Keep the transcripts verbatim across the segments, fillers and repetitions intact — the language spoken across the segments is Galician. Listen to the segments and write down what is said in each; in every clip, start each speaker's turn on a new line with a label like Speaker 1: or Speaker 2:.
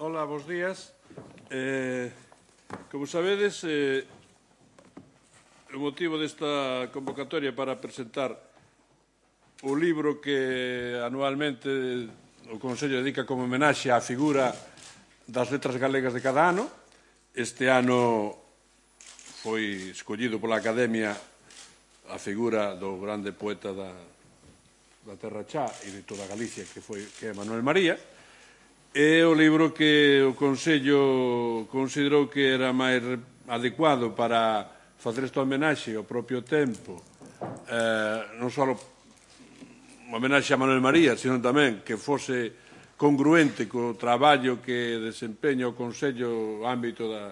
Speaker 1: Hola, bons días. Eh, como sabedes, eh, o motivo desta convocatoria para presentar o libro que anualmente o Consello dedica como homenaxe á figura das letras galegas de cada ano. Este ano foi escollido pola Academia a figura do grande poeta da, da Terra Chá e de toda Galicia, que, foi, que é Manuel María. É o libro que o Consello considerou que era máis adecuado para facer esta homenaxe ao propio tempo, eh, non só unha homenaxe a Manuel María, sino tamén que fose congruente co traballo que desempeña o Consello no ámbito da,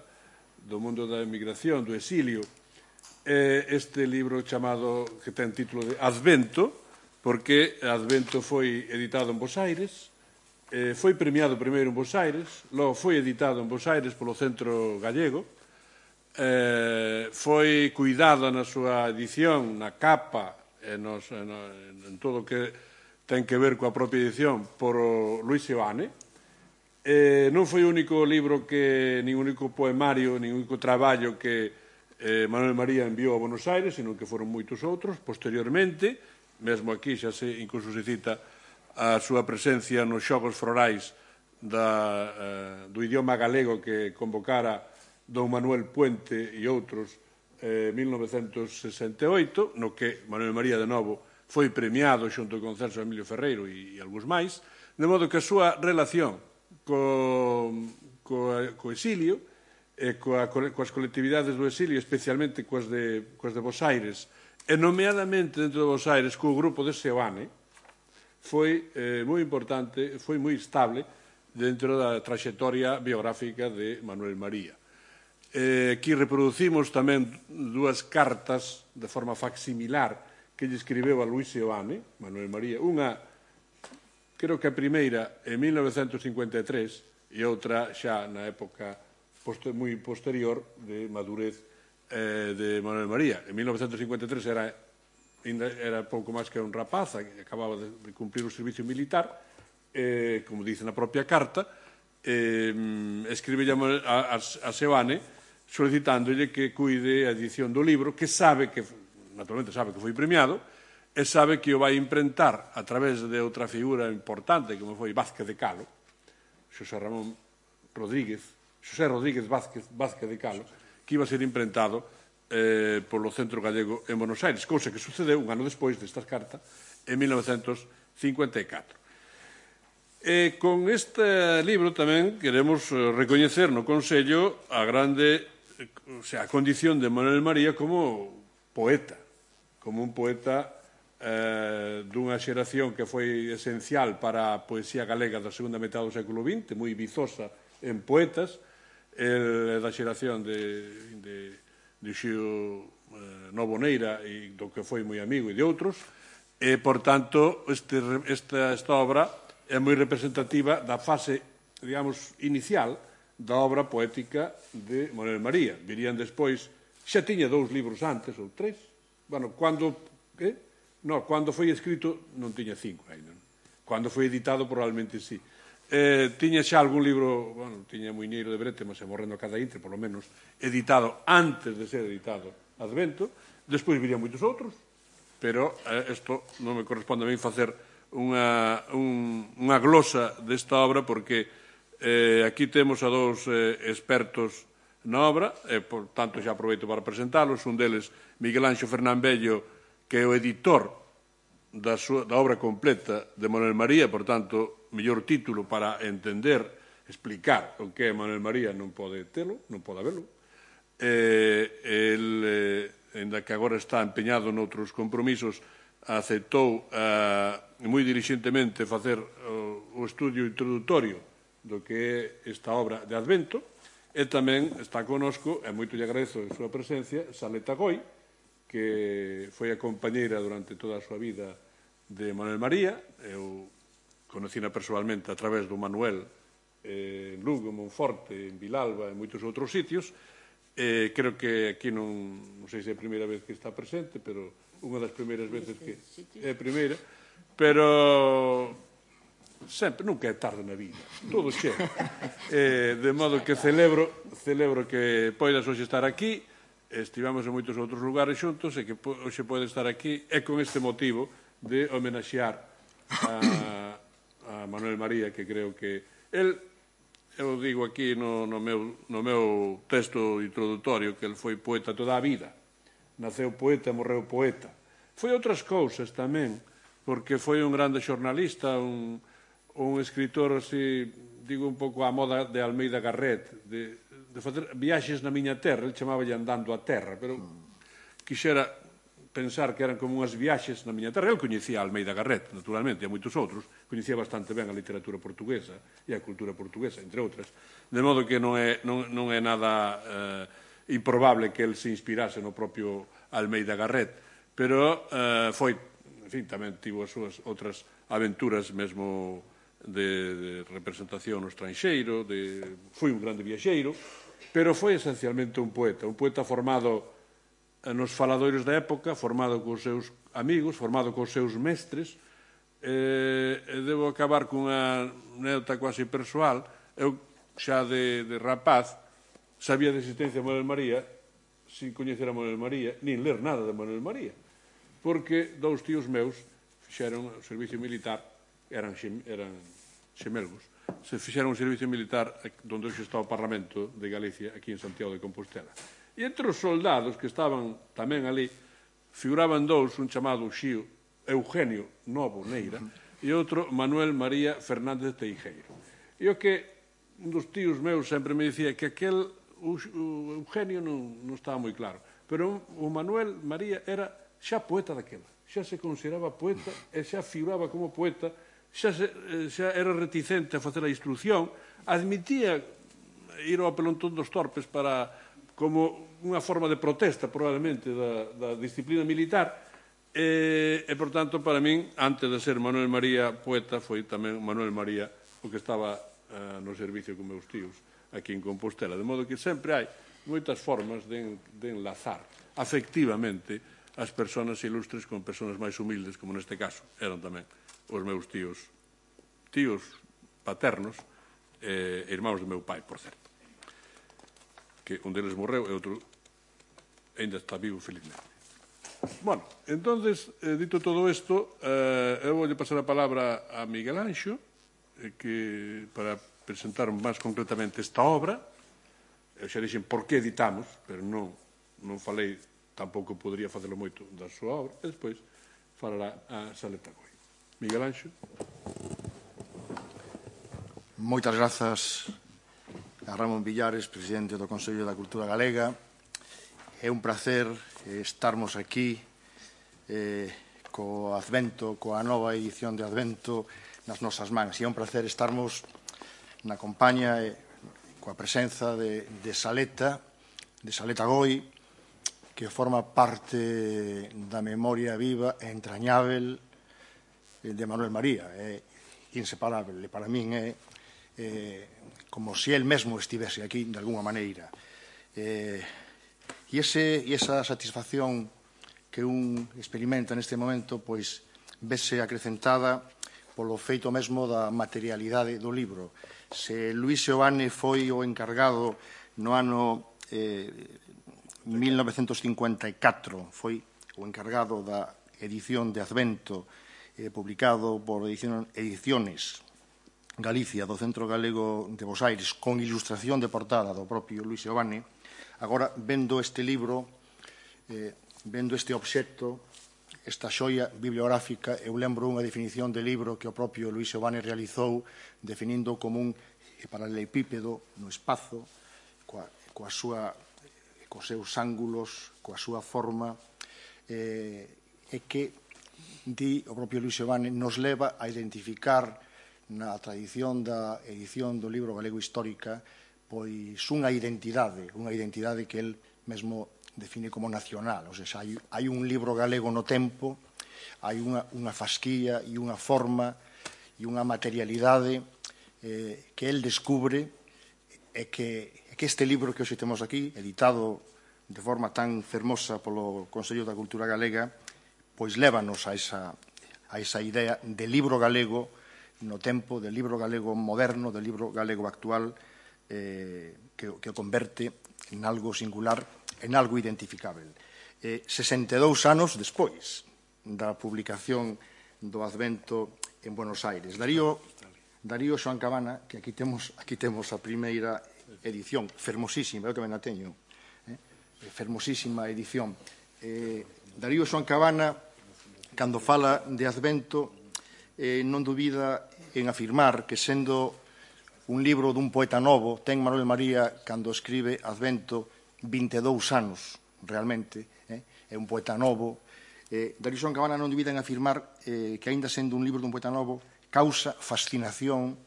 Speaker 1: do mundo da emigración, do exilio. Eh, este libro chamado, que ten título de Advento, porque Advento foi editado en Bos Aires, Eh, foi premiado primeiro en Bos Aires, logo foi editado en Bos Aires polo Centro Gallego, eh, foi cuidado na súa edición, na capa, e nos, en, en todo o que ten que ver coa propia edición, por o Luis Seoane. Eh, non foi o único libro, que, nin único poemario, nin único traballo que eh, Manuel María enviou a Buenos Aires, sino que foron moitos outros. Posteriormente, mesmo aquí xa se, incluso se cita a súa presencia nos xogos florais da, eh, do idioma galego que convocara don Manuel Puente e outros en eh, mil novecentos sesenta e oito, no que Manuel María de novo foi premiado xunto con Celso Emilio Ferreiro e, e algúns máis, de modo que a súa relación co, co, co exilio e coa, coas colectividades do exilio, especialmente coas de, coas de Bos Aires, e nomeadamente dentro de Bos Aires co grupo de Seoane, foi eh, moi importante, foi moi estable dentro da traxectoria biográfica de Manuel María. Eh, aquí reproducimos tamén dúas cartas de forma facsimilar que lle escribeu a Luis Seoane, Manuel María, unha, creo que a primeira en mil novecentos cincuenta e tres e outra xa na época poster, moi posterior de madurez eh, de Manuel María. En mil novecentos cincuenta e tres era era pouco máis que un rapaz, acababa de cumprir o servicio militar, eh, como dice na propia carta, eh, escribe a, a, a Seoane solicitándolle que cuide a edición do libro, que sabe que, naturalmente sabe que foi premiado, e sabe que o vai imprentar a través de outra figura importante, como foi Vázquez de Calo, Xosé Ramón Rodríguez, Xosé Rodríguez Vázquez, Vázquez de Calo, que iba a ser imprentado Eh, polo Centro Gallego en Buenos Aires, cousa que sucedeu un ano despois destas cartas, en mil novecentos cincuenta e catro. E con este libro tamén queremos recoñecer no Consello a grande, o sea, a condición de Manuel María como poeta, como un poeta eh, dunha xeración que foi esencial para a poesía galega da segunda metade do século vinte, moi vizosa en poetas, el, da xeración de... de de Xio eh, Novoneira e do que foi moi amigo e de outros, e, por tanto, este, esta, esta obra é moi representativa da fase, digamos, inicial da obra poética de Manuel María. Virían despois, xa tiña dous libros antes, ou tres, bueno, cando, eh? no, cando foi escrito non tiña cinco ainda, non? Cando foi editado probablemente sí. Eh, tiña xa algún libro, bueno, tiña Muiñeiro de Brete, mas é morrendo a cada intre, por lo menos, editado antes de ser editado Advento. Despois virían moitos outros, pero isto eh, non me corresponde a mí facer unha, un, unha glosa desta obra, porque eh, aquí temos a dous eh, expertos na obra, e, por tanto, xa aproveito para presentalos. Un deles, Miguel Anxo Fernán Bello, que é o editor da, súa, da obra completa de Manuel María, por tanto, mellor título para entender, explicar o que é Manuel María non pode telo, non pode habelo. Eh, el, eh, ainda que agora está empeñado noutros compromisos, aceptou eh, moi dirixentemente facer o, o estudio introductorio do que é esta obra de Advento, e tamén está conosco, e moito lle agradezo a súa presencia, Saleta Goi, que foi a compañeira durante toda a súa vida de Manuel María. Eu conocina personalmente a través do Manuel eh, en Lugo, en Monforte, en Vilalba e moitos outros sitios. Eh, creo que aquí non, non sei se é a primeira vez que está presente, pero unha das primeiras veces que é a primeira, pero sempre, nunca é tarde na vida, todo chega. Eh, de modo que celebro, celebro que poidas hoxe estar aquí, estivemos en moitos outros lugares xuntos e que hoxe pode estar aquí, e con este motivo de homenaxear a, a Manuel María, que creo que el, eu digo aquí no, no, meu, no meu texto introductorio que el foi poeta toda a vida, naceu poeta, morreu poeta. Foi outras cousas tamén, porque foi un grande xornalista, un, un escritor, así, digo un pouco á moda de Almeida Garret, de, de facer viaxes na miña terra, el chamaballe andando a terra, pero quixera pensar que eran como unhas viaxes na miña terra. El coñecía a Almeida Garret, naturalmente, e a moitos outros, coñecía bastante ben a literatura portuguesa e a cultura portuguesa, entre outras, de modo que non é, non, non é nada eh, improbable que el se inspirase no propio Almeida Garret, pero eh, foi, en fin, tamén tivo as súas outras aventuras mesmo de, de representación no estranxeiro, de, foi un grande viaxeiro, pero foi esencialmente un poeta, un poeta formado nos faladoiros da época, formado cos seus amigos, formado cos seus mestres. Eh, devo acabar cunha anécdota quasi persoal. Eu, xa de, de rapaz, sabía de existencia de Manuel María, sin coñecer a Manuel María, nin ler nada de Manuel María, porque dous tíos meus fixeron o servicio militar, eran, eran xemelgos, se fixeron o servicio militar onde hoxe está o Parlamento de Galicia, aquí en Santiago de Compostela. E entre os soldados que estaban tamén ali, figuraban dous, un chamado Xío Eugenio Novo Neira e outro Manuel María Fernández Teijeiro. E o que un dos tíos meus sempre me dicía que aquel o Eugenio non, non estaba moi claro, pero o Manuel María era xa poeta daquela, xa se consideraba poeta e xa figuraba como poeta, xa, se, xa era reticente a facer a instrucción, admitía ir ao pelontón dos torpes para, como unha forma de protesta, probablemente, da, da disciplina militar, e, e, por tanto, para min, antes de ser Manuel María poeta, foi tamén Manuel María o que estaba uh, no servicio con meus tíos aquí en Compostela. De modo que sempre hai moitas formas de, de enlazar afectivamente as persoas ilustres con persoas máis humildes, como neste caso eran tamén os meus tíos, tíos paternos, e irmáns do meu pai, por certo, que un deles morreu e outro ainda está vivo, felizmente. Bueno, entonces, eh, dito todo isto, eh, eu vou pasar a palabra a Miguel Anxo, eh, que, para presentar máis concretamente esta obra. Eu xa dixen por que editamos, pero non, non falei, tampouco podería facelo moito da súa obra, e despois falará a Saleta Goi. Miguel Anxo.
Speaker 2: Moitas grazas a Ramón Villares, presidente do Consello da Cultura Galega. É un placer estarmos aquí eh, co Advento, coa nova edición de Advento nas nosas mans. E é un placer estarmos na compañía e coa presenza de, de Saleta, de Saleta Goi, que forma parte da memoria viva e entrañável de Manuel María. É inseparable. Para min é eh, como se el mesmo estivese aquí, de alguna maneira. Eh, e, ese, e esa satisfacción que un experimenta neste momento, pois, vese acrecentada polo feito mesmo da materialidade do libro. Se Luís Seoane foi o encargado no ano eh, mil novecentos cincuenta e catro, foi o encargado da edición de Advento, eh, publicado por Ediciones Galicia, do Centro Galego de Bos Aires, con ilustración de portada do propio Luís Seoane. Agora, vendo este libro, eh, vendo este obxecto, esta xoia bibliográfica, eu lembro unha definición de libro que o propio Luís Seoane realizou, definindo como un paralelepípedo no espazo, coa, coa súa, cos seus ángulos, coa súa forma, eh, e que, di o propio Luís Seoane, nos leva a identificar na tradición da edición do libro galego histórica pois unha identidade, unha identidade que el mesmo define como nacional. O sea, hai, hai un libro galego no tempo, hai unha, unha fasquía e unha forma e unha materialidade eh, que el descubre e que, e que este libro que hoxe temos aquí, editado de forma tan fermosa polo Consello da Cultura Galega, pois lévanos a esa, a esa idea de libro galego no tempo del libro galego moderno, del libro galego actual, eh, que, que o converte en algo singular, en algo identificável. Eh, sesenta e dous anos despois da publicación do Advento en Buenos Aires. Darío, Darío Xoán Cabana, que aquí temos, aquí temos a primeira edición, fermosísima, eu tamén a teño, eh? fermosísima edición. Eh, Darío Xoán Cabana, cando fala de Advento, eh, non dubida en afirmar que, sendo un libro dun poeta novo, ten Manuel María, cando escribe Advento, vinte e dous anos, realmente, eh? é un poeta novo. Eh, Darío Xoán Cabana non dubida en afirmar eh, que, aínda sendo un libro dun poeta novo, causa fascinación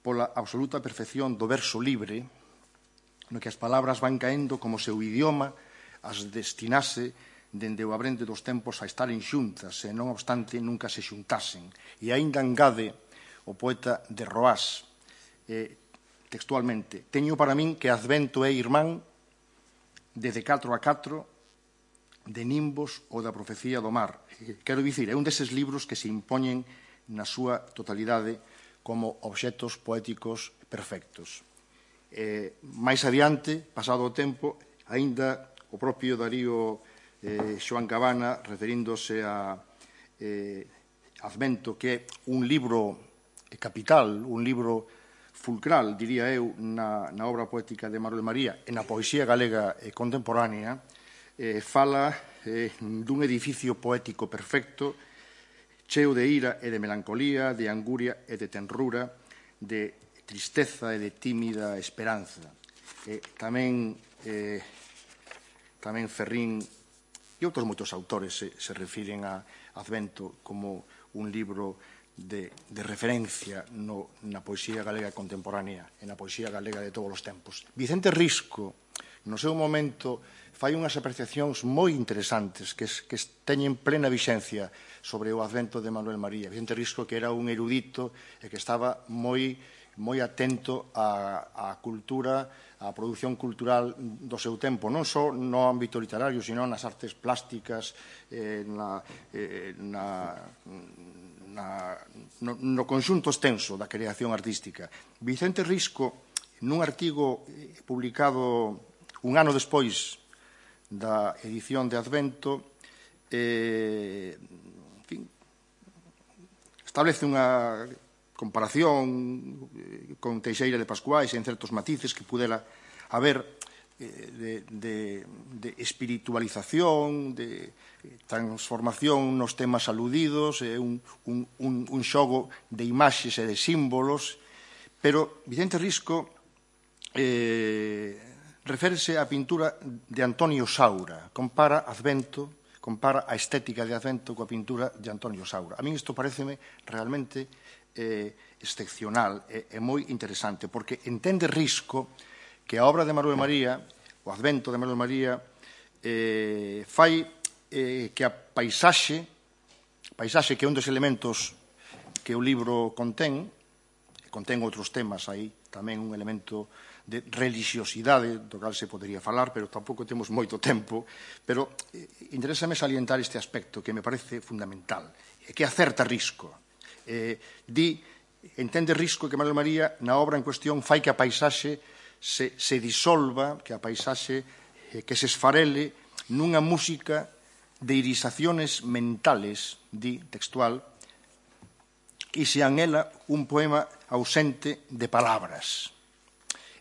Speaker 2: pola absoluta perfección do verso libre, no que as palabras van caendo como se o idioma as destinase dende o abrente dos tempos a estaren xuntas e, non obstante, nunca se xuntasen. E aínda engade o poeta de Roás, eh, textualmente: teño para min que Advento é irmán de De catro a catro, de Nimbos ou da Profecía do Mar. Quero dicir, é un deses libros que se impoñen na súa totalidade como obxectos poéticos perfectos. Eh, máis adiante, pasado o tempo, aínda o propio Darío eh, Xoán Cabana, referíndose a eh, Advento, que é un libro capital, un libro fulcral, diría eu, na, na obra poética de Manuel María e na poesía galega eh, contemporánea, eh, fala eh, dun edificio poético perfecto, cheo de ira e de melancolía, de anguria e de tenrura, de tristeza e de tímida esperanza. Eh, tamén, eh, tamén Ferrín e outros moitos autores se, se refiren a Advento como un libro de, de referencia no, na poesía galega contemporánea e na poesía galega de todos os tempos. Vicente Risco, no seu momento, fai unhas apreciacións moi interesantes que, que teñen plena vixencia sobre o Advento de Manuel María. Vicente Risco, que era un erudito e que estaba moi, moi atento á, á cultura, á produción cultural do seu tempo, non só no ámbito literario, sino nas artes plásticas, eh, na, eh, na, na, no, no conxunto extenso da creación artística. Vicente Risco, nun artigo publicado un ano despois da edición de Advento, eh, en fin, establece unha comparación con Teixeira de Pascuais en certos matices que pudera haber eh, de, de, de espiritualización, de transformación nos temas aludidos, eh, un, un, un, un xogo de imaxes e de símbolos, pero Vicente Risco eh, reférese á pintura de Antonio Saura, compara Advento, compara a estética de Advento coa pintura de Antonio Saura. A min isto pareceme realmente eh, excepcional e, e moi interesante, porque entende Risco que a obra de Manuel María, o Advento de Manuel María, eh, fai eh, que a paisaxe, paisaxe que é un dos elementos que o libro contén, contén outros temas aí, tamén un elemento de religiosidade, do cal se podería falar, pero tampouco temos moito tempo, pero eh, interésame salientar este aspecto que me parece fundamental, e que acerta Risco. Eh, di, entende Risco que Manuel María, na obra en cuestión, fai que a paisaxe se, se disolva, que a paisaxe eh, que se esfarele nunha música de irisaciones mentales, di textual, e sean ela un poema ausente de palabras.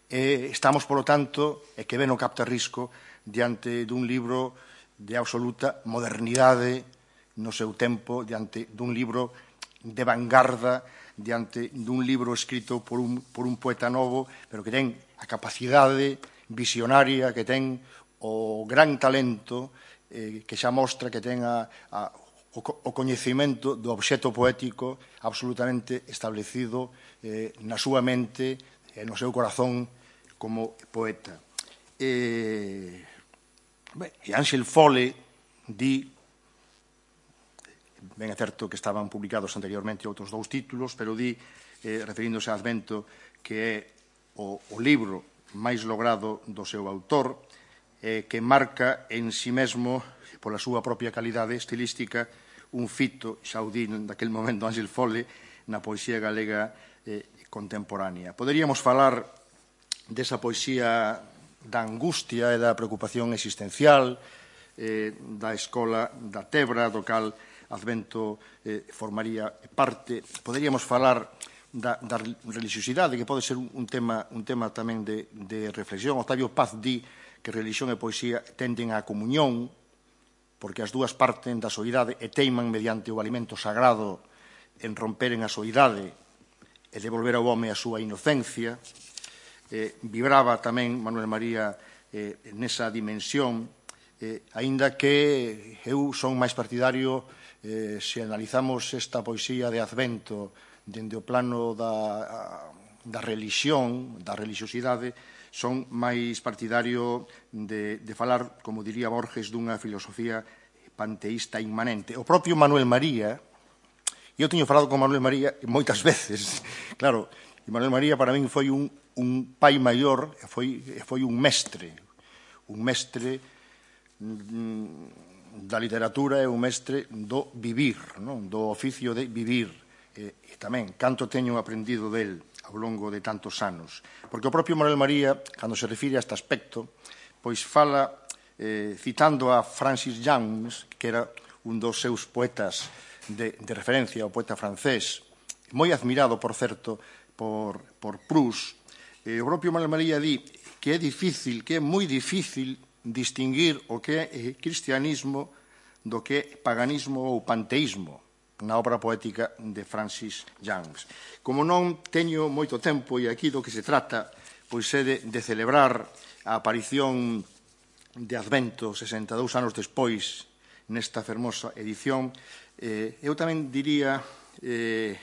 Speaker 2: Eh, estamos, polo tanto, e que ben o capta Risco, diante dun libro de absoluta modernidade no seu tempo, diante dun libro de vanguarda, diante dun libro escrito por un, por un poeta novo, pero que ten a capacidade visionaria, que ten o gran talento, eh, que xa mostra que ten a, a, o, o coñecimento do obxecto poético absolutamente establecido eh, na súa mente e no seu corazón como poeta. Eh, ben, e Ángel Fole di, ben é certo que estaban publicados anteriormente outros dous títulos, pero di, eh, referíndose a Advento, que é o, o libro máis logrado do seu autor, eh, que marca en si mesmo, pola súa propia calidade estilística, un fito, xa o di daquel momento Ángel Fole, na poesía galega eh, contemporánea. Poderíamos falar desa poesía da angustia e da preocupación existencial, eh, da escola da Tebra, do cal Advento eh, formaría parte. Poderíamos falar da, da religiosidade, que pode ser un tema, un tema tamén de, de reflexión. Octavio Paz di que religión e poesía tenden á comunión, porque as dúas parten da soidade e teiman mediante o alimento sagrado en romperen a soidade e devolver ao home a súa inocencia. Eh, vibraba tamén Manuel María eh, nesa dimensión, eh, aínda que eu son máis partidario, eh, se analizamos esta poesía de Advento dende o plano da, da religión, da religiosidade, son máis partidario de, de falar, como diría Borges, dunha filosofía panteísta inmanente. O propio Manuel María, eu teño falado con Manuel María moitas veces, claro, e Manuel María para min foi un, un pai maior, foi, foi un mestre, un mestre mm, da literatura e un mestre do vivir, non? Do oficio de vivir. E, e tamén, canto teño aprendido del ao longo de tantos anos. Porque o propio Manuel María, cando se refire a este aspecto, pois fala, eh, citando a Francis Jammes, que era un dos seus poetas de, de referencia, o poeta francés, moi admirado, por certo, por, por Proust. Eh, o propio Manuel María di que é difícil, que é moi difícil distinguir o que é cristianismo do que é paganismo ou panteísmo na obra poética de Francis Jammes. Como non teño moito tempo e aquí do que se trata pois é de, de celebrar a aparición de Advento sesenta e dous anos despois nesta fermosa edición, eh, eu tamén diría eh,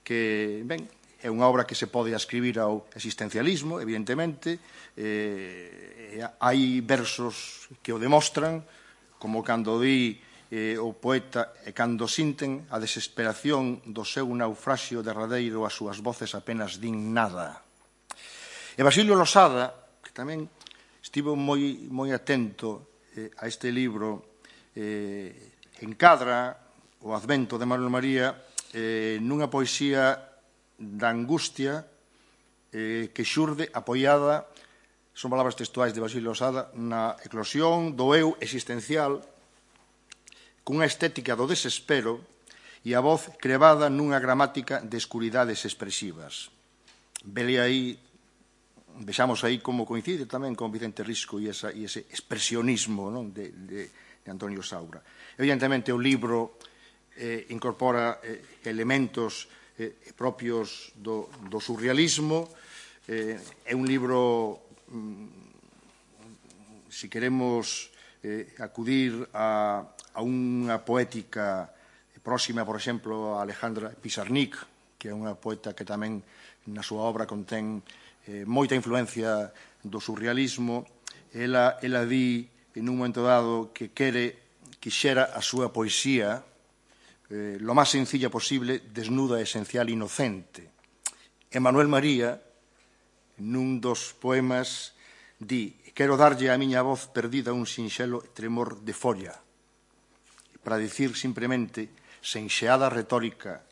Speaker 2: que, ben, é unha obra que se pode ascribir ao existencialismo, evidentemente. Eh, hai versos que o demostran, como cando di eh, o poeta e cando sinten a desesperación do seu naufraxio derradeiro, as súas voces apenas din nada. E Basilio Losada, que tamén estivo moi, moi atento eh, a este libro, eh, encadra o Advento de Manuel María eh, nunha poesía da angustia eh, que xurde apoiada, son palabras textuais de Basilio Losada, na eclosión do eu existencial, cunha estética do desespero e a voz crevada nunha gramática de escuridades expresivas. Vele aí, vexamos aí como coincide tamén con Vicente Risco e, esa, e ese expresionismo, non? de, de, de Antonio Saura. Evidentemente, o libro eh, incorpora eh, elementos eh, propios do, do surrealismo. Eh, é un libro, mm, si queremos eh, acudir a a unha poética próxima, por exemplo, a Alejandra Pizarnik, que é unha poeta que tamén na súa obra contén eh, moita influencia do surrealismo. Ela, ela di, en un momento dado, que quere, quixera a súa poesía eh, lo máis sencilla posible, desnuda, esencial, inocente. E Manuel María, nun dos poemas, di: quero darlle a miña voz perdida un sinxelo tremor de folla, para dicir simplemente, sen xeada retórica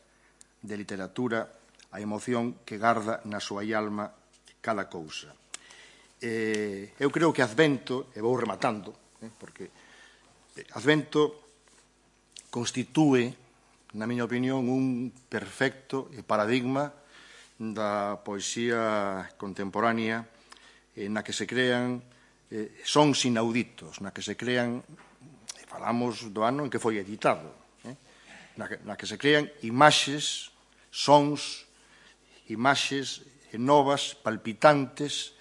Speaker 2: de literatura, a emoción que garda na súa alma cada cousa. Eh, eu creo que Advento, e vou rematando, eh, porque Advento constitúe, na miña opinión, un perfecto paradigma da poesía contemporánea eh, na que se crean eh, sons inauditos, na que se crean, falamos do ano en que foi editado, eh? na, que, na que se crean imaxes, sons, imaxes novas, palpitantes,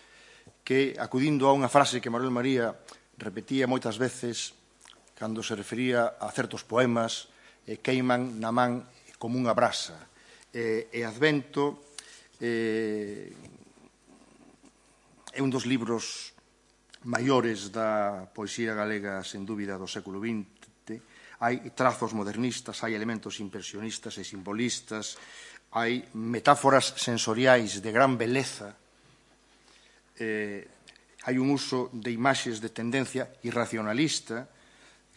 Speaker 2: que, acudindo a unha frase que Manuel María repetía moitas veces cando se refería a certos poemas, eh, queiman na man como unha brasa. Eh, e Advento eh, é un dos libros maiores da poesía galega, sen dúbida, do século vinte. Hai trazos modernistas, hai elementos impresionistas e simbolistas, hai metáforas sensoriais de gran beleza, eh, hai un uso de imaxes de tendencia irracionalista,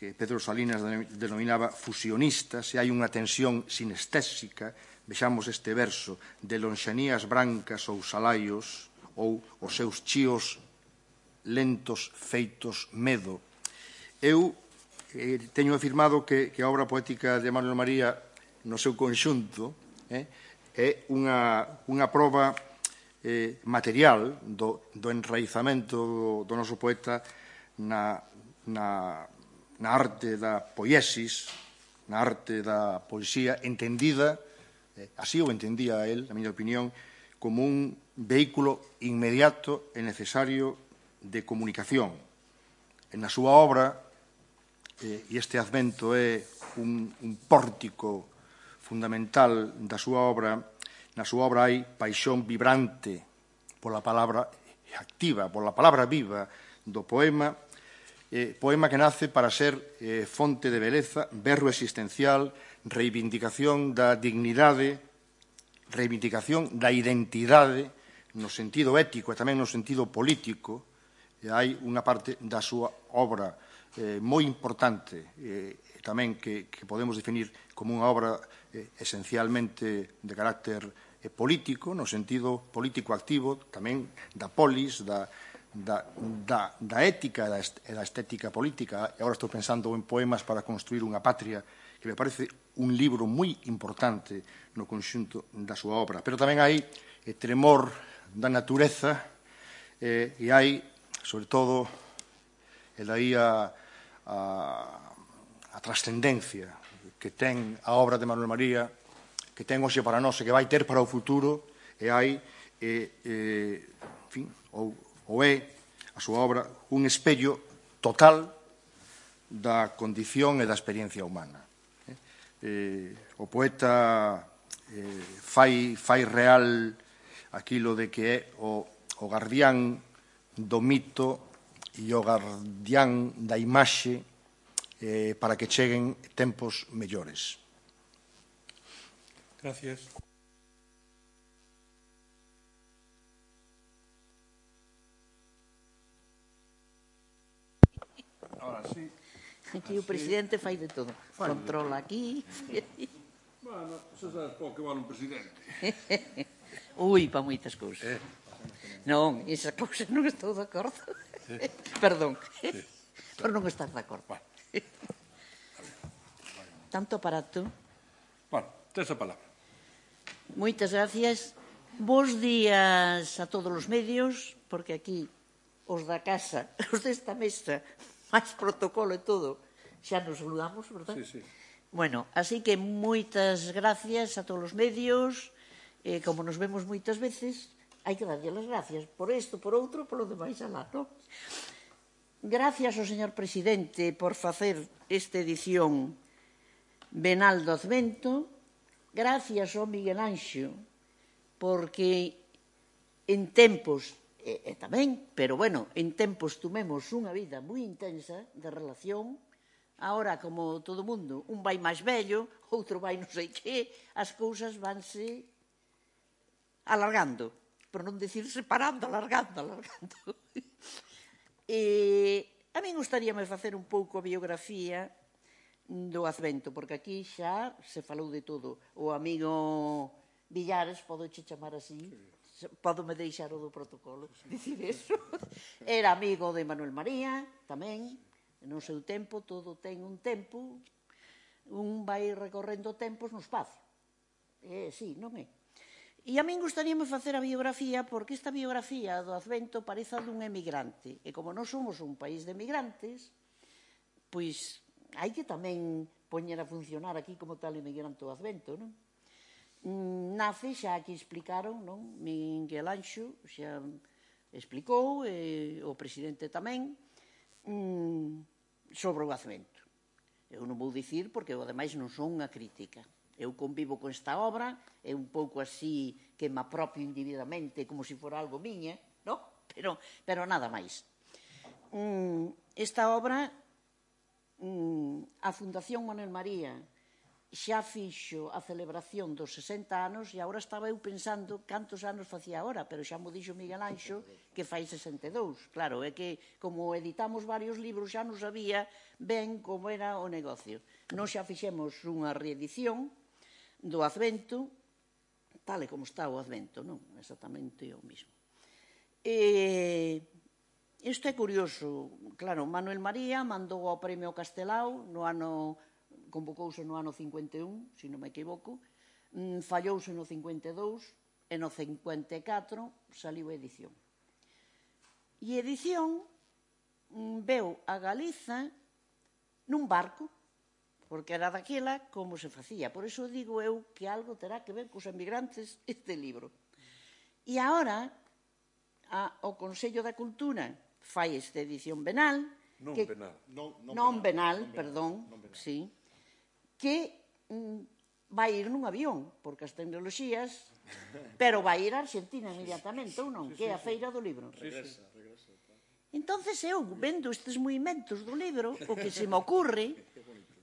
Speaker 2: que Pedro Salinas denominaba fusionistas, e hai unha tensión sinestésica vexamos este verso: de lonxanías brancas ou salaios, ou os seus chíos lentos feitos medo. Eu eh, teño afirmado que, que a obra poética de Manuel María no seu conxunto eh, é unha, unha proba eh, material do, do enraizamento do, do noso poeta na, na, na arte da poiesis, na arte da poesía, entendida, eh, así o entendía él, na miña opinión, como un vehículo inmediato e necesario de comunicación. Na súa obra, eh, e este advento é un, un pórtico fundamental da súa obra, na súa obra hai paixón vibrante pola palabra activa, pola palabra viva do poema, eh, poema que nace para ser eh, fonte de beleza, berro existencial, reivindicación da dignidade, reivindicación da identidade no sentido ético e tamén no sentido político. E hai unha parte da súa obra eh, moi importante eh, tamén que, que podemos definir como unha obra eh, esencialmente de carácter eh, político, no sentido político activo, tamén da polis, da, da, da, da ética e da estética política. E agora estou pensando en Poemas para construir unha patria, que me parece un libro moi importante no conxunto da súa obra. Pero tamén hai eh, tremor da natureza eh, e hai, sobre todo, e daí a, a, a trascendencia que ten a obra de Manuel María, que ten hoxe para nós e que vai ter para o futuro, e hai, e, e, en fin, ou, ou é a súa obra un espello total da condición e da experiencia humana. Eh, eh, o poeta eh, fai, fai real aquilo de que é o, o guardián do mito e o guardián da imaxe eh, para que cheguen tempos mellores.
Speaker 1: Gracias. Ahora sí.
Speaker 3: Aquí o presidente fai de todo. Controla aquí.
Speaker 1: Bueno, xa sabes pouco que vale un presidente.
Speaker 3: Ui, pa moitas cousas. Non, esa cousa non estou de acordo. Perdón. Por non estar de acordo. Tanto aparato.
Speaker 1: Bueno, tes a palabra.
Speaker 3: Moitas gracias. Bos días a todos os medios, porque aquí os da casa, os desta mesa, máis protocolo e todo, xa nos saludamos, verdad?
Speaker 1: Sí, sí.
Speaker 3: Bueno, así que moitas gracias a todos os medios. Eh, como nos vemos moitas veces, hai que darlle as gracias por isto, por outro, por lo demais alá, non? Gracias ao señor presidente por facer esta edición venal do Advento. Gracias ao Miguel Anxo, porque en tempos, e, e tamén, pero bueno, en tempos tumemos unha vida moi intensa de relación. Ahora, como todo mundo, un vai máis vello, outro vai non sei que, as cousas vanse alargando, por non dicir separando, alargando, alargando. E a mí gustaríame facer un pouco a biografía do Advento, porque aquí xa se falou de todo. O amigo Villares, podo che chamar así, podo me deixar o do protocolo, dicir eso. Era amigo de Manuel María, tamén, no seu tempo, todo ten un tempo, un vai recorrendo tempos no espacio. Eh, sí, non é? E a min gustaríame facer a biografía, porque esta biografía do Advento parece a dun emigrante. E como non somos un país de emigrantes, pois hai que tamén poñer a funcionar aquí como tal emigrante do Advento, non? Nace, xa aquí explicaron, non? Miguel Anxo xa explicou, e o presidente tamén, sobre o Advento. Eu non vou dicir, porque eu, ademais, non son unha crítica. Eu convivo con esta obra, é un pouco así que me apropio individuamente como se fora algo miña, non? Pero, pero nada máis. Esta obra, a Fundación Manuel María xa fixo a celebración dos sesenta anos e agora estaba eu pensando cantos anos facía agora, pero xa mo dixo Miguel Anxo que fai sesenta e dous. Claro, é que como editamos varios libros xa non sabía ben como era o negocio. Nós xa fixemos unha reedición do Advento tal e como está o Advento, non? Exactamente o mismo. E isto é curioso. Claro, Manuel María mandou ao Premio Castelao no ano, convocouse no ano cincuenta e un, se non me equivoco, fallouse no cincuenta e dous, e no cincuenta e catro saliu a edición. E a edición veu a Galiza nun barco, porque era daquela como se facía. Por iso digo eu que algo terá que ver cos emigrantes este libro. E agora o Consello da Cultura fai esta edición venal.
Speaker 1: Non venal.
Speaker 3: Non venal, perdón, sí, que vai ir nun avión, porque as tecnoloxías, pero vai ir a Argentina inmediatamente, ou non? Que é a Feira do Libro.
Speaker 2: Regresa, regresa.
Speaker 3: Entonces eu, vendo estes movimentos do libro, o que se me ocurre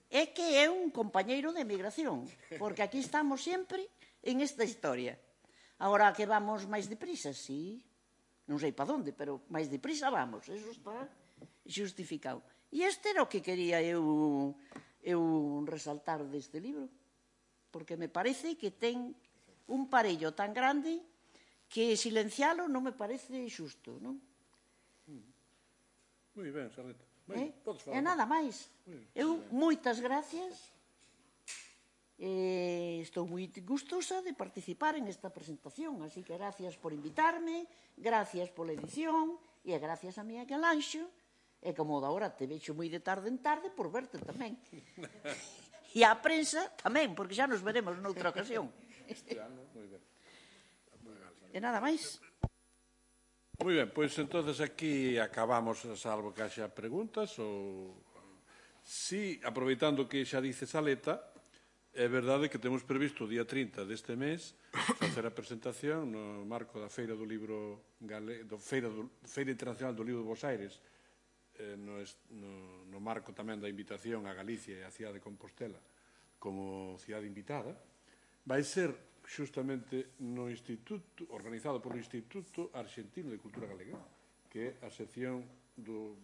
Speaker 3: é que é un compañeiro de emigración, porque aquí estamos sempre en esta historia. Agora que vamos máis deprisa, sí, non sei para onde, pero máis deprisa vamos, eso está justificado. E este era o que quería eu, eu resaltar deste libro, porque me parece que ten un parello tan grande que silencialo non me parece xusto, non?
Speaker 1: Moi ben, Sarleta.
Speaker 3: Eh? E nada máis. Eu, moitas gracias. Eh, estou moi gustosa de participar en esta presentación, así que gracias por invitarme, gracias pola edición, e gracias a Miguel Anxo, e como de agora te vexo moi de tarde en tarde, por verte tamén. E a prensa tamén, porque xa nos veremos noutra ocasión. E nada máis.
Speaker 1: Moi ben, pois entonces aquí acabamos, salvo que haxa preguntas, ou si, aproveitando que xa dice Saleta, é verdade que temos previsto o día trinta deste mes facer a presentación no marco da Feira do Libro do Feira, do, Feira Internacional do Libro de Bos Aires, eh, no, no, no marco tamén da invitación a Galicia e a cidade de Compostela como cidade invitada, vai ser xustamente no instituto, organizado polo Instituto Argentino de Cultura Galega, que é a sección do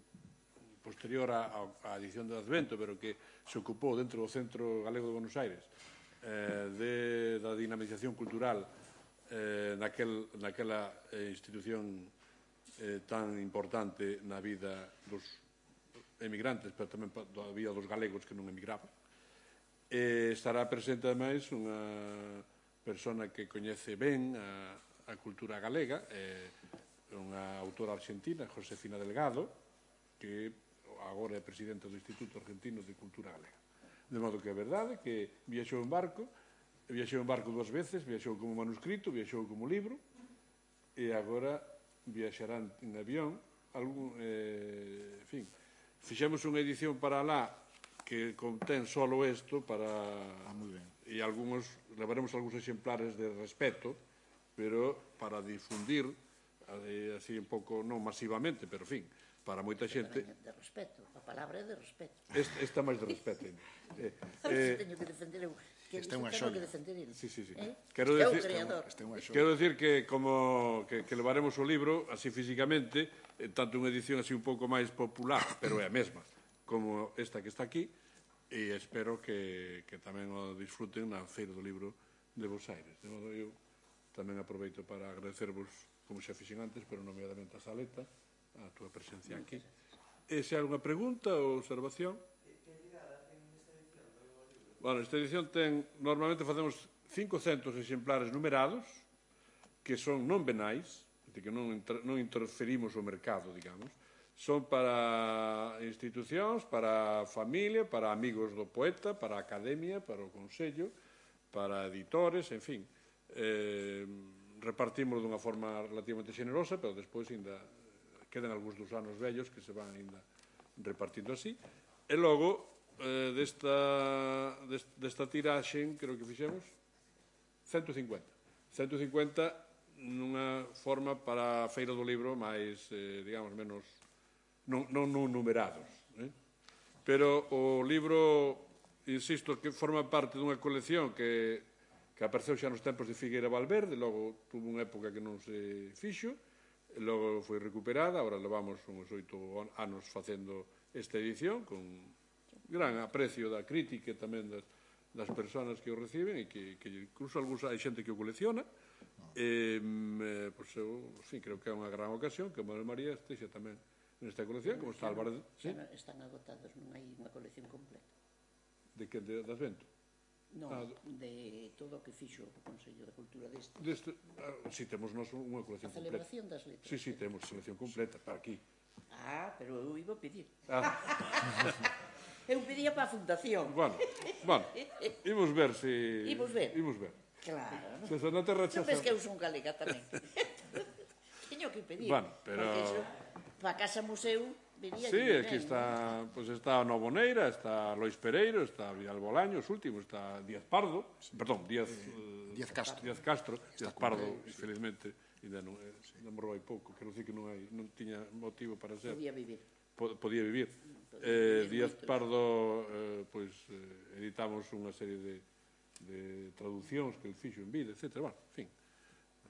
Speaker 1: posterior á edición do Advento, pero que se ocupou dentro do Centro Galego de Buenos Aires eh, de, da dinamización cultural eh, naquel, naquela eh, institución eh, tan importante na vida dos emigrantes, pero tamén da vida dos galegos que non emigraban. E estará presente, ademais, unha persona que coñece ben a, a cultura galega, é unha autora argentina, Josefina Delgado, que agora é presidenta do Instituto Argentino de Cultura Galega. De modo que é verdade que viaxou en barco, viaxou en barco dúas veces, viaxou como manuscrito, viaxou como libro, e agora viaxarán en avión. Algún, eh, en fin, fixemos unha edición para lá que contén solo isto para...
Speaker 2: Ah, moi ben.
Speaker 1: E algúns, levaremos algúns exemplares de respeto, pero para difundir, así un pouco, non masivamente, pero, en fin, para moita xente...
Speaker 3: De respeto, a palabra é de respeto.
Speaker 1: Esta, esta máis de respeto. Eh,
Speaker 3: eh, teño que defender eu. Que
Speaker 2: esta é unha
Speaker 3: xoia.
Speaker 2: Sí,
Speaker 1: sí, sí.
Speaker 3: Eh?
Speaker 1: Quero
Speaker 3: é
Speaker 1: decir,
Speaker 3: o creador.
Speaker 1: Quero decir que, como que, que levaremos o libro, así físicamente, eh, tanto unha edición así un pouco máis popular, pero é a mesma, como esta que está aquí, e espero que, que tamén o disfruten na Feira do Libro de Bos Aires. De modo, eu tamén aproveito para agradecervos, como xa fixen antes, pero nomeadamente a Saleta, a túa presencia aquí. E se hai unha pregunta ou observación? Bueno, esta edición ten, normalmente facemos cincocentos exemplares numerados, que son non venais, que non, inter, non interferimos o mercado, digamos, son para institucións, para a familia, para amigos do poeta, para a academia, para o consello, para editores, en fin. Eh, repartimos dunha forma relativamente generosa, pero despois ainda quedan algúns dos anos vellos que se van ainda repartindo así. E logo, eh, desta, desta tiraxe, creo que fixemos, ciento cincuenta. ciento cincuenta nunha forma para a Feira do Libro máis, eh, digamos, menos... non, non, non numerados. Eh? Pero o libro, insisto, que forma parte dunha colección que, que apareceu xa nos tempos de Figueira Valverde, logo tuvo unha época que non se fixo, e logo foi recuperada, agora levamos uns oito anos facendo esta edición, con gran aprecio da crítica e tamén das, das persoas que o reciben e que, que incluso algúns hai xente que o colecciona. Eh, eh, pois eu, en fin, creo que é unha gran ocasión que Manuel María estexa tamén nesta colección, como está Álvarez.
Speaker 3: ¿Sí? Están agotados, non hai unha colección completa.
Speaker 1: De que? De, de Advento?
Speaker 3: Non, ah, de todo o que fixo o Consello de Cultura deste.
Speaker 1: Deste, ah, si, temos nos unha colección completa.
Speaker 3: A celebración completa. Das letras.
Speaker 1: Si, si, temos colección completa, para aquí.
Speaker 3: Ah, pero eu iba a pedir.
Speaker 1: Ah.
Speaker 3: Eu pedía para a fundación.
Speaker 1: Bueno, bueno, imos ver se... Si...
Speaker 3: Imos ver.
Speaker 1: Imos ver.
Speaker 3: Claro.
Speaker 1: Se eso non te rechazan...
Speaker 3: Sabes que eu son galega tamén. Teño que pedir.
Speaker 1: Bueno, pero...
Speaker 3: Porque iso, para a Casa Museu, vería...
Speaker 1: Sí, aquí está, pues está Novo Neira, está Lois Pereiro, está Vidal Bolaño, os últimos, está Díaz Pardo, sí. Perdón, Díaz... Eh,
Speaker 2: Díaz Castro.
Speaker 1: Díaz Castro, Díaz Pardo, infelizmente, ainda non, eh, non morrou hai pouco, quero dicir que non, hai, non tiña motivo para ser.
Speaker 3: Podía vivir.
Speaker 1: Podía vivir. Eh, Díaz Pardo, eh, pois, eh, editamos unha serie de, de traduccións que el fixo en vida, etcétera. Bueno, en fin.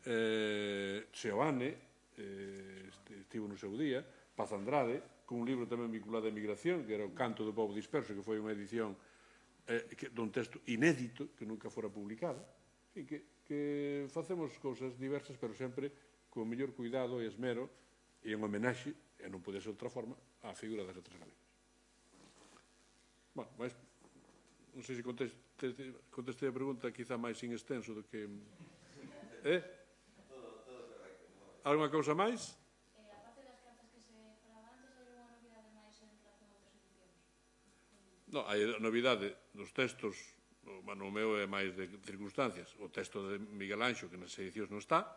Speaker 1: Eh, Seoane, eh, estivo no seu día, Paz Andrade, con un libro tamén vinculado á emigración, que era o Canto do Pobo Disperso, que foi unha edición eh, que, dun texto inédito, que nunca fora publicado. En fin, que, que facemos cousas diversas, pero sempre con o mellor cuidado e esmero e en homenaxe, e non pode ser outra forma, á figura das letras galegas. Bueno, mas, non sei se conteste, contestei a pregunta quizá máis sin extenso do que... Eh?
Speaker 4: Todo, todo correcto.
Speaker 1: Alguna cousa máis?
Speaker 4: Eh, a parte das cartas que se falaba antes, hai unha novidade máis en relación a outras edicións?
Speaker 1: Non, hai a novidade dos textos, bueno, o meu é máis de circunstancias, o texto de Miguel Anxo, que nas edicións non está,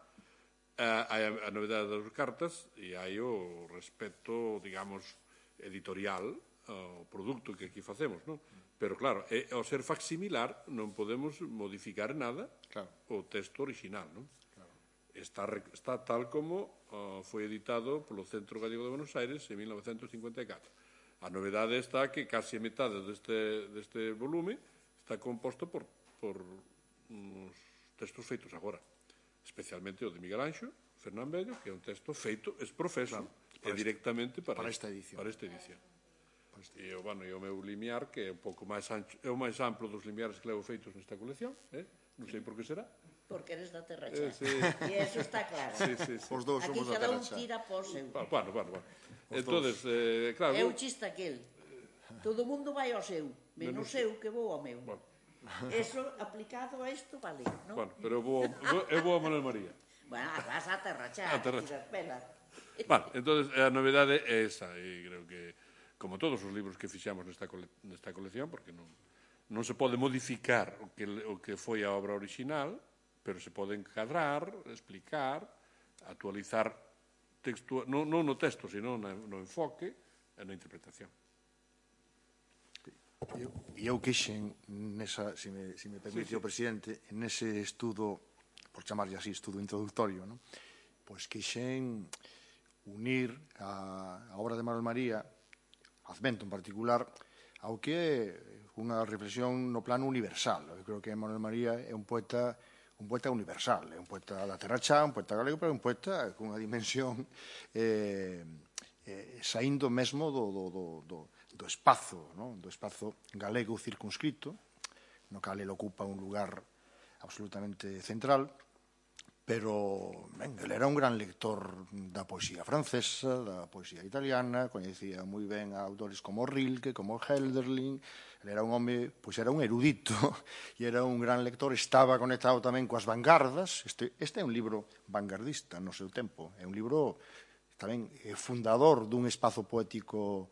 Speaker 1: hai a novidade das cartas e hai o respecto, digamos, editorial ao produto que aquí facemos, non? Pero, claro, ao ser facsimilar non podemos modificar nada o texto original, non? Está, está tal como uh, foi editado polo Centro Gallego de Buenos Aires en mil novecentos cincuenta e catro. A novedade está que casi a metade deste, deste volume está composto por, por uns textos feitos agora, especialmente o de Miguel Anxo, Fernán Bello, que é un texto feito es profeso claro, e directamente para,
Speaker 2: para esta edición.
Speaker 1: Para esta edición. E o, bueno, e o meu limiar, que é un pouco máis ancho, é o máis amplo dos limiares que levo feitos nesta colección, eh? Non sei por que será.
Speaker 3: Porque eres da Terra Chá.
Speaker 1: Eh, sí.
Speaker 3: E eso está claro.
Speaker 1: Sí, sí, sí.
Speaker 2: Os dous
Speaker 3: aquí
Speaker 2: somos da
Speaker 3: cada
Speaker 2: Terra
Speaker 3: un
Speaker 2: Chá.
Speaker 3: tira por seu.
Speaker 1: Bueno, bueno, bueno. Entonces, eh, claro...
Speaker 3: É o chiste aquel. Todo mundo vai ao seu, menos eu que vou ao meu.
Speaker 1: Bueno.
Speaker 3: Eso aplicado a isto vale, non?
Speaker 1: Bueno, pero eu vou, eu vou a Manuel María.
Speaker 3: Bueno, vas a Terra Chá,
Speaker 1: A Terra Chá.
Speaker 3: espera.
Speaker 1: Bueno, entonces a novedade é esa, e creo que como todos os libros que fixamos nesta, cole, nesta colección, porque non, non se pode modificar o que, o que foi a obra original, pero se pode encadrar, explicar, actualizar texto, non, non no texto, sino no, no enfoque e na interpretación.
Speaker 2: E eu quixen, nesa, se me, se me permite sí, sí. o presidente, nese estudo, por chamarlle así, estudo introductorio, ¿no? Pois quixen unir a, a obra de Manuel María, Advento en particular, ao que é unha reflexión no plano universal. Eu creo que Manuel María é un poeta un poeta universal, é un poeta da Terra Chá, un poeta galego, pero un poeta con unha dimensión eh, eh, saindo mesmo do, do, do, do, do espazo, ¿no? Do espazo galego circunscrito, no cal ele ocupa un lugar absolutamente central, pero ben, ele era un gran lector da poesía francesa, da poesía italiana, coñecía moi ben a autores como Rilke, como Hölderlin. Ele era un home, pois era un erudito e era un gran lector, estaba conectado tamén coas vanguardas. Este, este é un libro vanguardista no seu tempo, é un libro tamén fundador dun espazo poético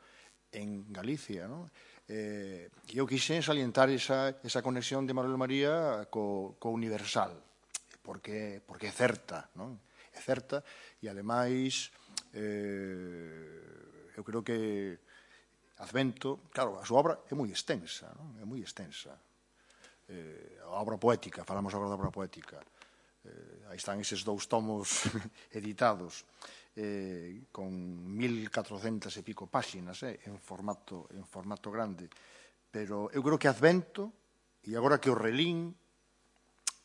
Speaker 2: en Galicia, non? Eh, e eu quixen salientar esa, esa conexión de Manuel María co, co universal, porque, porque é certa, non? É certa, e ademais eh, eu creo que Advento, claro, a súa obra é moi extensa, non? É moi extensa. Eh, a obra poética, falamos agora da obra poética. Eh, aí están eses dous tomos editados eh, con mil catrocentas e pico páxinas, eh, en formato en formato grande. Pero eu creo que Advento, e agora que o relín,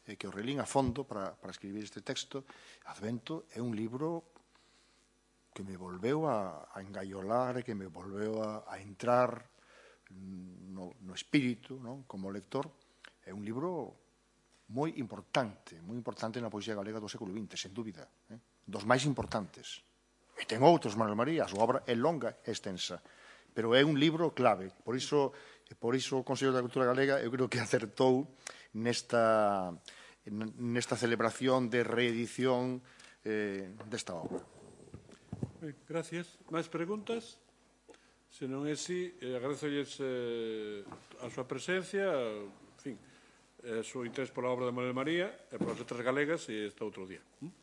Speaker 2: eh, que o relín a fondo para, para escribir este texto, Advento é un libro que me volveu a, a engaiolar e que me volveu a, a entrar no, no espírito, non? Como lector, É un libro moi importante, moi importante na poesía galega do século vinte, sen dúbida, eh? dos máis importantes. E ten outros, Manuel María, a súa obra é longa e extensa, pero é un libro clave. Por iso, por iso o Consello da Cultura Galega eu creo que acertou nesta, nesta celebración de reedición eh, desta obra.
Speaker 1: Ben, gracias. Máis preguntas? Se non é así, eh, agradezolles eh, a súa presencia, en fin, eh, o seu interés pola obra de Manuel María e polas letras galegas e este outro día. ¿Mm?